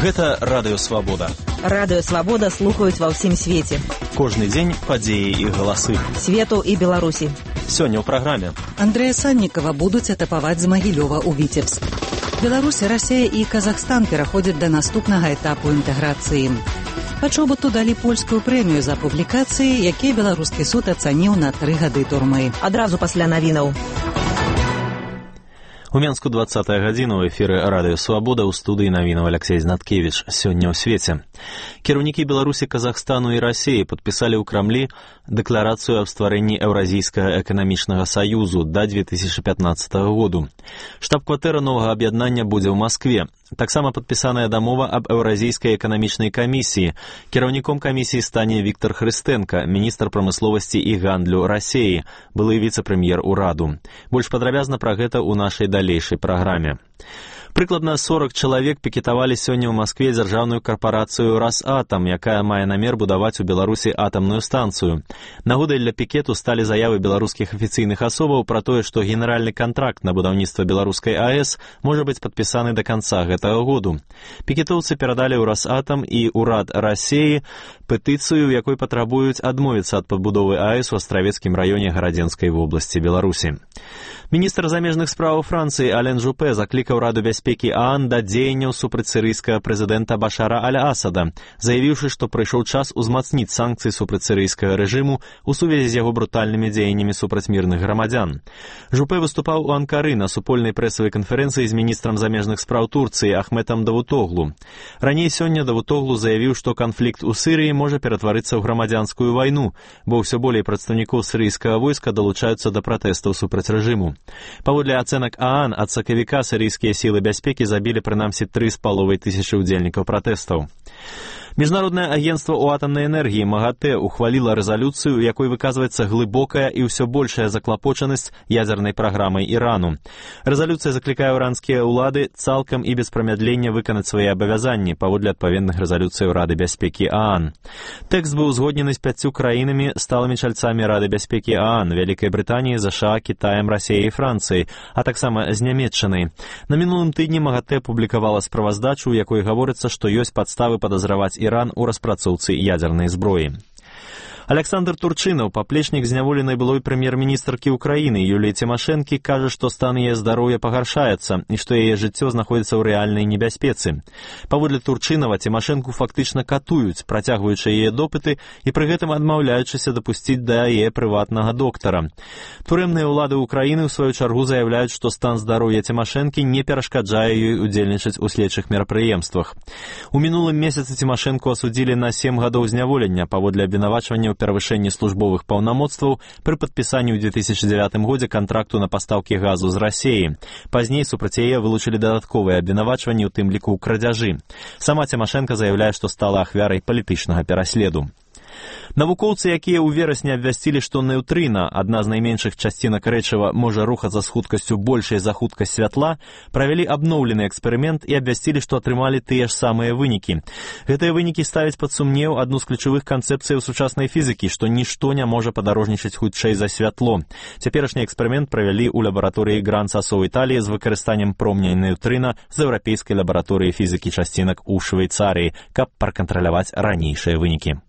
Гэта Радыё Свабода. Радыё Свабода слухаюць ва ўсім свеце. Кожны дзень падзеі і галасы. Свету і Беларусі. Сёння ў праграме. Андрэя Саннікава будуць атапаваць з Магілёва ў Віцебск. Беларусь, Расія і Казахстан пераходзяць да наступнага этапу інтэграцыі. Пачобуту далі польскую прэмію за публікацыі, якія беларускі суд ацаніў на 3 гады турмы. Адразу пасля навінаў. У Менску 20-я гадзіна ў эфіры Радыё Свабода, ў студыі навінаў Алексей Знаткевіч. Сёння ў свеце. Кіраўнікі Беларусі, Казахстану і Расіі падпісалі ў Крамлі дэкларацыю аб стварэнні Еўразійскага эканамічнага саюзу да 2015 году. Штаб-кватэра новага аб'яднання будзе ў Маскве. Таксама падпісаная дамова аб Еўразійскай эканамічнай камісіі. Кіраўніком камісіі стане Віктор Хрыстэнка, міністр прамысловасці і гандлю Расіі, былы віцэ-прэм'ер ураду. Больш падрабязна пра гэта ў нашай далейшай праграме. Прыкладна 40 чалавек пікетавалі сёння ў Маскве дзяржаўную карпарацыю «Росатом», якая мае намер будаваць у Беларусі атамную станцыю. Нагодай для пікету сталі заявы беларускіх афіцыйных асобаў пра тое, што генеральны кантракт на будаўніцтва беларускай АЭС можа быць падпісаны да канца гэтага году. Пікетоўцы перадалі ў «Росатом» і ўрад Расіі петыцыю, у якой патрабуюць адмовіцца ад пабудовы АЭС у Астравецкім раёне Гарадзенскай вобласці Беларусі. Міністр замежных справаў Францыі Ален Жупе заклікаў Раду бяспекі ААН да дзеянняў супраць сірыйскага прэзідэнта Башара аль-Асада, заявіўшы, што прыйшоў час узмацніць санкцыі супраць сірыйскага рэжыму ў сувязі з яго брутальнымі дзеяннямі супраць мірных грамадзян. Жупе выступаў у Анкары на супольнай прэсавай канферэнцыі з міністрам замежных спраў Турцыі Ахметам Давутоглу. Раней сёння Давутоглу заявіў, што канфлікт у Сірыі можа ператварыцца ў грамадзянскую вайну, бо ўсё болей прадстаўнікоў сірыйскага войска далучаюцца да пратэстаў супраць рэжыму. Паводле ацэнак ААН, ад сакавіка сірыйскія сілы бяспекі забілі прынамсі 3,5 тысячы ўдзельнікаў пратэстаў. Міжнароднае агенцтва ў атамнай энергіі МАГАТЭ ухваліла рэзалюцыю, у якой выказваецца глыбокая і ўсё большая заклапочанасць ядзернай праграмай Ірану. Рэзалюцыя заклікае іранскія ўлады цалкам і без прамядлення выканаць свае абавязанні паводле адпаведных рэзалюцыяў Рады бяспекі ААН. Тэкст быў узгоднены з 5 краінамі, сталымі чальцамі Рады бяспекі ААН, Вялікай Брытаніі, ЗША, Кітаем, Расіяй і Францыяй, а таксама з Нямецчынай. На мінулым тыдні МАГАТЭ публікавала справаздачу, у якой гаворыцца, што ёсць падставы падазраваць Іран у распрацоўцы ядзернай зброі. Александр Турчынаў, паплечнік зняволенай былой прэм'ер-міністркі Украіны Юліі Цімашэнкі, кажа, што стан яе здароўя пагаршаецца і што яе жыццё знаходзіцца ў рэальнай небяспецы. Паводле Турчынава, Цімашэнку фактычна катуюць, працягваючы яе допыты і пры гэтым адмаўляючыся дапусціць да яе прыватнага доктара. Турэмныя ўлады Украіны, ў сваю чаргу, заяўляюць, што стан здароўя Цімашэнкі не перашкаджае ёй удзельнічаць у следчых мерапрыемствах. У мінулым месяцы Цімашэнку асудзілі на 7 гадоў зняволення паводле абвінавачвання перавышэнні службовых паўнамоцтваў пры падпісанні ў 2009 годзе кантракту на пастаўкі газу з Расіі. Пазней супраць яе вылучылі дадатковыя абвінавачванні, у тым ліку ў крадзяжы. Сама Цімашэнка заяўляе, што стала ахвярай палітычнага пераследу. Навукоўцы, якія ў верасні абвясцілі, што неўтрына, адна з найменшых часцінак рэчыва, можа рухацца з хуткасцю большай за хуткасць святла, правялі абноўлены эксперымент і абвясцілі, што атрымалі тыя ж самыя вынікі. Гэтыя вынікі ставяць пад сумнеў адну з ключавых канцэпцыяў сучаснай фізікі, што нішто не можа падарожнічаць хутчэй за святло. Цяперашні эксперымент правялі ў лабараторыі Гран-Сасо ў Італіі з выкарыстаннем промня неўтрына з еўрапейскай лабараторыі фізікі часцінак у Швейцарыі, каб пракантраляваць ранейшыя вынікі.